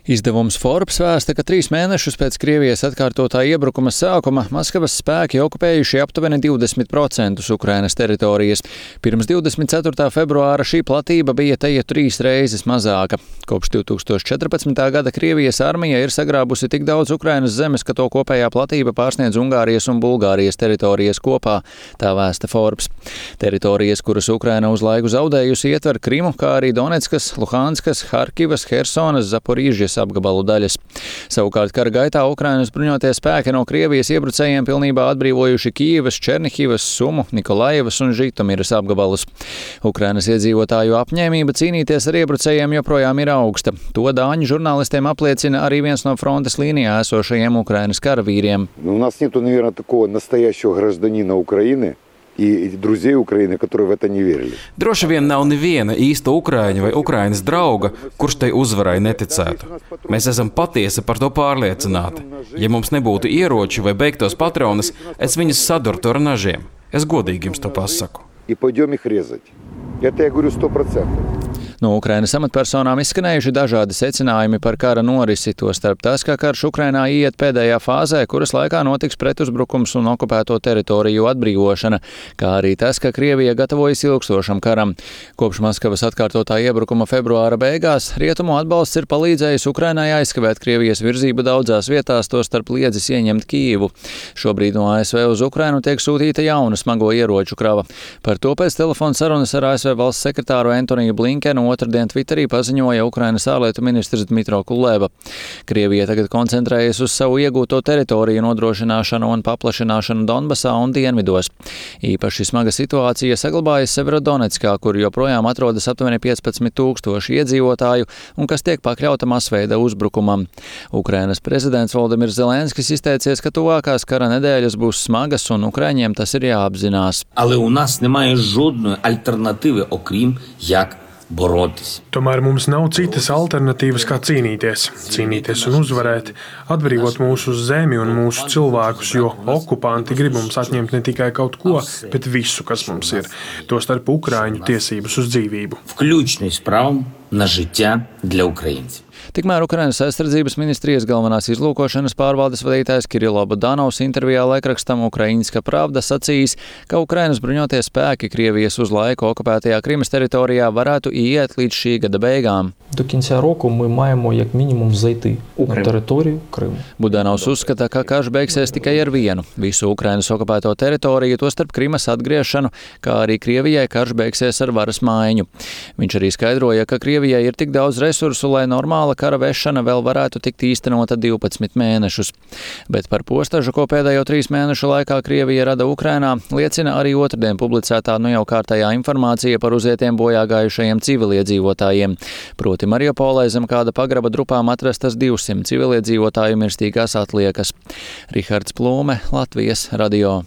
Izdevums Forbes vēsta, ka 3 mēnešus pēc Krievijas atkārtotā iebrukuma sākuma Maskavas spēki okupējuši aptuveni 20% Ukrainas teritorijas. Pirms 24. februāra šī platība bija teju 3 reizes mazāka. Kopš 2014. gada Krievijas armija ir sagrābusi tik daudz Ukrainas zemes, ka to kopējā platība pārsniedz Ungārijas un Bulgārijas teritorijas kopā, tā vēsta Forbes. Teritorijas, kuras Ukraina uz laiku zaudējusi, ietver Krimu, kā arī Donetskas, Luhanskas, Harkivas, Hersonas, Zaporīžas apgabalu daļas. Savukārt kara gaitā Ukrainas bruņotie spēki no Krievijas iebrucējiem pilnībā atbrīvojuši Kijivas, Černihivas, Sumu, Nikolaivas un Žitomiras apgabalus. Ukrainas iedzīvotāju apņēmība cīnīties ar iebrucējiem joprojām ir augsta. To dāņu žurnālistiem apliecina arī viens no frontes līnijā esošajiem Ukrainas karavīriem. У нас нету, наверное, такого настоящего гражданина Украины и друзей Украины, которые в это не верили. Droši vien nav neviena īsta Ukraiņa vai Ukrainas drauga, kurš tai uzvarai neticētu. Mēs esam patiesi par to pārliecināti. Ja mums nebūtu ieroči vai beigtos patronas, es viņus sadurtu ar nažiem. Es godīgi jums to pasaku. И пойдем их резать. Это я говорю 100%. No Ukrainas amatpersonām izskanējuši dažādi secinājumi par kara norisi, tostarp tas, ka karš Ukrainā iet pēdējā fāzē, kuras laikā notiks pretuzbrukums un okupēto teritoriju atbrīvošana, kā arī tas, ka Krievija gatavojas ilgstošam karam. Kopš Maskavas atkārtotā iebrukuma februāra beigās rietumu atbalsts ir palīdzējis Ukrainai aizkavēt Krievijas virzību daudzās vietās, tostarp liedzis ieņemt Kijivu. Šobrīd no ASV uz Ukrainu tiek sūtīta jauna smago ieroču krava. Par to pēc telefona sarunas ar ASV valsts sekretāru Antoniju Blinkenu otrdien Twitterī paziņoja Ukrainas ārlietu ministrs Dmitro Kuleba. Krievija tagad koncentrējas uz savu iegūto teritoriju nodrošināšanu un paplašināšanu Donbasā un dienvidos. Īpaši smaga situācija saglabājas Severodonetskā, kur joprojām atrodas aptuveni 15,000 iedzīvotāju un kas tiek pakļauta masveida uzbrukumam. Ukrainas prezidents Volodimirs Zelenskis izteicies, ka tuvākās kara nedēļas būs smagas un ukraiņiem tas ir jāapzinās. Але у нас немає жодної альтернативи, окрім як боротись. Tomēr mums nav citas alternatīvas, kā cīnīties. Cīnīties un uzvarēt, atbrīvot mūsu zemi un mūsu cilvēkus, jo okupanti grib mums atņemt ne tikai kaut ko, bet visu, kas mums ir. Tostarp Ukraiņu tiesības uz dzīvību. Включно із правом на життя для українців. Tikmēr Ukrainas aizsardzības ministrijas galvenās izlūkošanas pārvaldes vadītājs Kirilo Budanovs intervijā laikrakstam Ukraiņska Pravda sacījis, ka Ukrainas bruņotie spēki Krievijas uz laiku okupētajā Krimas teritorijā varētu iet līdz šī gada beigām. До кінця року ми маємо як мінімум зайти на територію Криму. Budanovs uzskata, ka karš beigsies tikai ar vienu - visu Ukrainas okupēto teritoriju, tostarp Krimas atgriešanu, kā arī Krievijai karš beigsies ar varas maiņu. Viņš arī skaidroja, ka Krievijai ir tik daudz resursu, lai normāla kara vešana vēl varētu tikt īstenota 12 mēnešus. Bet par postažu, ko pēdējo 3 mēnešu laikā Krievija rada Ukrainā, liecina arī otrdien publicētā jau kārtējā informācija par uzietiem bojā gājušajiem civiliedzīvotājiem. Proti Mariupolē zem kāda pagraba drupām atrastas 200 civiliedzīvotāju mirstīgās atliekas. Rihards Plūme, Latvijas radio.